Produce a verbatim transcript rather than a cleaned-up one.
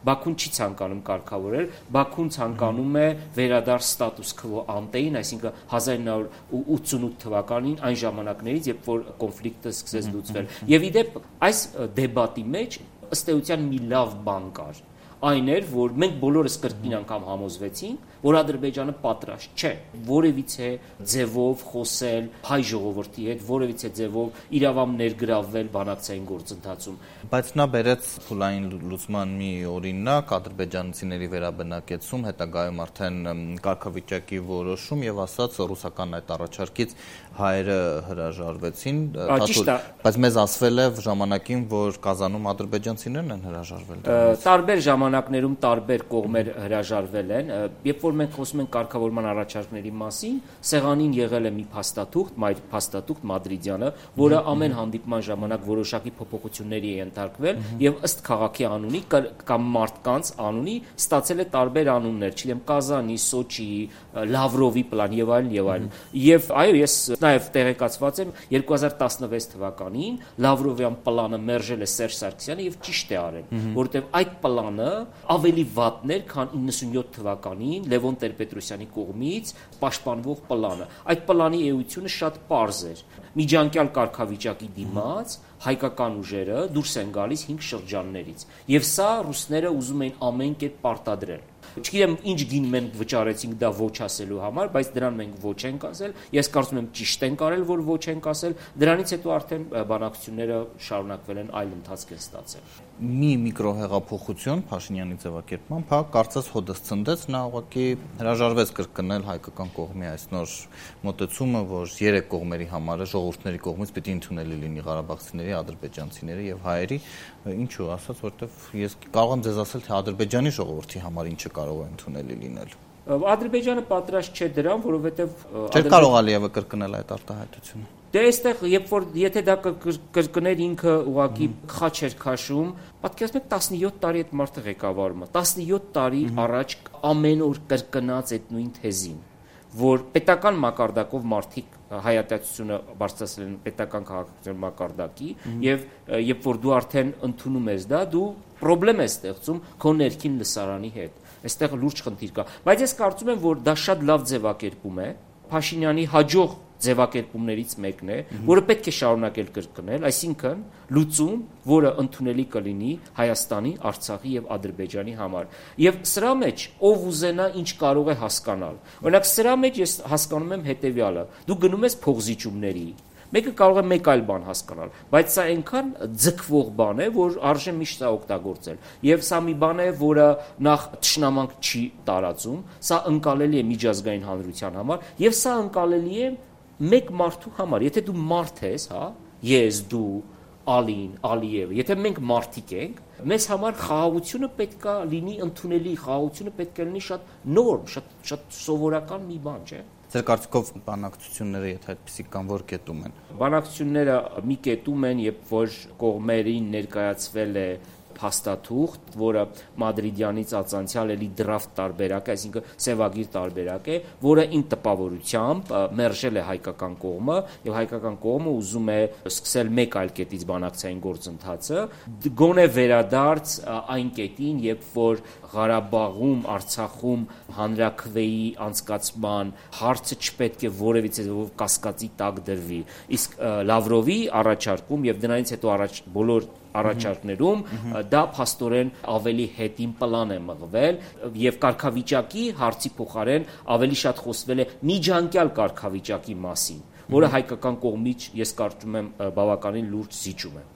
Բաքուն չի ցանկանում կարգավորել, Բաքուն ցանկանում է վերադարձ ստատուս քվո անտեին, այսինքն հազար ինը հարյուր ութսունութ թվականին այն ժամանակներից, երբ որ կոնֆլիկտը սկսեց լուծվել։ Եվ իդեպ այս դեբատի մեջ ըստ էության մի լավ բան կար։ Այն էր, որ մենք բոլորս կրկին անգամ համոզվեցինք, որ Ադրբեջանը պատրաստ չէ որևիցե ձևով խոսել հայ ժողովրդի հետ, որևիցե ձևով իրավամբ ներգրավվել բանակցային գործընթացում։ Բայց նա բերեց փուլային լուծման մի օրինակ, ադրբեջանցիների վերաբնակեցում, հետագայում արդեն կարգավիճակի որոշում եւ ասաց ռուսական այդ առաջարկից հայերը հրաժարվեցին, բայց մեզ ասվել է ժամանակին, որ Կազանում ադրբեջանցիներն են հրաժարվել։ Տարբեր ժամանակներում տարբեր կողմեր հրաժարվել են, երբ որ մենք խոսում ենք կարգավորման առաջարկների մասին, սեղանին եղել է մի փաստաթուղթ, մայր փաստաթուղթ Մադրիդյանը, որը ամեն հանդիպման ժամանակ որոշակի փոփոխությունների է ենթարկվել եւ ըստ քաղաքի անունի կամ մարդկանց անունի ստացել է տարբեր անուններ, չգիտեմ, Կազանի, Սոչիի, Լավրովի պլան եւ այլն եւ այլն։ Եվ այո, ես նաեւ տեղեկացված եմ երկու հազար տասնվեց թվականին Լավրովյան պլանը մերժել է Սերժ Սարգսյանը եւ ճիշտ է արել, որովհետեւ այդ պլանը ավելի վատն էր, քան իննսունյոթ թվականին Լևոն Տեր-Պետրոսյանի կողմից պաշտպանվող պլանը։ Այդ պլանի էությունը շատ պարզ էր։ Միջանկյալ կարգավիճակի դիմաց հայկական ուժերը դուրս են գալիս հինգ շրջաններից։ Եվ սա ռուսները ուզում էին ամեն կերպ պարտադրել։ Չգիտեմ ինչ գին մենք վճարեցինք դա ոչ ասելու համար, բայց դրան մենք ոչ ենք ասել։ Ես կարծում եմ ճիշտ ենք արել, որ ոչ ենք ասել։ Դրանից հետո արդեն բանակցությունները շարունակվել են, այլ ընթացք են ստացել։ Մի միկրոհեղափոխություն Փաշինյանի ձևակերպմամբ, հա, կարծես հոդս ցնդեց, նա ուղղակի հրաժարվեց կրկնել հայկական կողմի այս նոր մոտեցումը, որ երեք կողմերի համար ժողովուրդների կողմից պիտի ընդունելի լինի ղարաբաղցիների, ադրբեջանցիների եւ հայերի, ինչու, ասած, որովհետեւ ես կարող եմ ձեզ ասել, թե Ադրբեջանի ժողովրդի համար ինչը կարող է ընդունելի լինել։ Ադրբեջանը պատրաստ չէ դրան, որովհետեւ Չէ՞ կարող Ալիևը կրկնել այդ արտահայտությունը։ Դե այստեղ, երբ որ եթե դա կրկներ ինքը ուղղակի խաչ էր քաշում, պատկերացնեք տասնյոթ տարի այդ մարդը ղեկավարում է, տասնյոթ տարի առաջ ամեն օր կրկնած այդ նույն թեզին, որ պետական մակարդակով մարդիկ հայատյացությունը բարձրացրել են պետական քաղաքական մակարդակի եւ երբ որ դու արդեն ընդունում ես դա, դու խնդրեմ ես ստեղծում քո ներքին լսարանի հետ։ Այստեղ լուրջ խնդիր կա, բայց ես կարծում եմ, որ դա շատ լավ ձևակերպում է Փաշինյանի հաջող ձևակերպումներից մեկն է, որը պետք է շարունակել կրկնել, այսինքն լուծում, որը ընդունելի կլինի Հայաստանի, Արցախի եւ Ադրբեջանի համար։ Եվ սրա մեջ ով ուզենա ինչ կարող է հասկանալ։ Օրինակ սրա մեջ ես հասկանում եմ հետեւյալը. դու գնում ես փողզիջումների, մեկը կարող է մեկ այլ բան հասկանալ, բայց սա այնքան ձգվող բան է, որ արժե միշտ սա օգտագործել։ Եվ սա մի բան է, որը նախ թշնամանք չի տարածում, սա ընկալելի է միջազգային հանրության համար, եւ սա ընկալելի է մեկ մարդու համար։ Եթե դու մարդ ես, հա, ես, դու, Ալին, Ալիևը, եթե մենք մարդիկ ենք, մեզ համար խաղաղությունը պետքա լինի ընդունելի, խաղաղությունը պետք է լինի շատ նորմ, շատ շատ սովորական մի բան, չէ՞։ Ձեր կարծիքով բանակցությունները, եթե այդպիսի կան, որ կետում են։ Բանակցությունները մի կետում են, երբ որ կողմերին ներկայացվել է փաստաթուղթ, որը Մադրիդյանից ածանցյալ էլի դրաֆտ տարբերակ է, այսինքն սևագիր տարբերակ է, որը ին տպավորությամբ մերժել է հայկական կողմը եւ հայկական կողմը ուզում է սկսել մեկ այլ կետից բանակցային գործընթացը, գոնե վերադարձ այն կետին, երբ որ Ղարաբաղում, Արցախում հանրաքվեի անցկացման հարցը չպետք է որևիցե ձևով կասկածի տակ դրվի։ Իսկ Լավրովի առաջարկում եւ դրանից հետո առաջ բոլոր առաջարկներում դա փաստորեն ավելի հետին պլան է մղվել եւ կարգավիճակի հարցի փոխարեն ավելի շատ խոսվել է միջանկյալ կարգավիճակի մասին, որը հայկական կողմից ես կարծում եմ բավականին լուրջ զիջում է։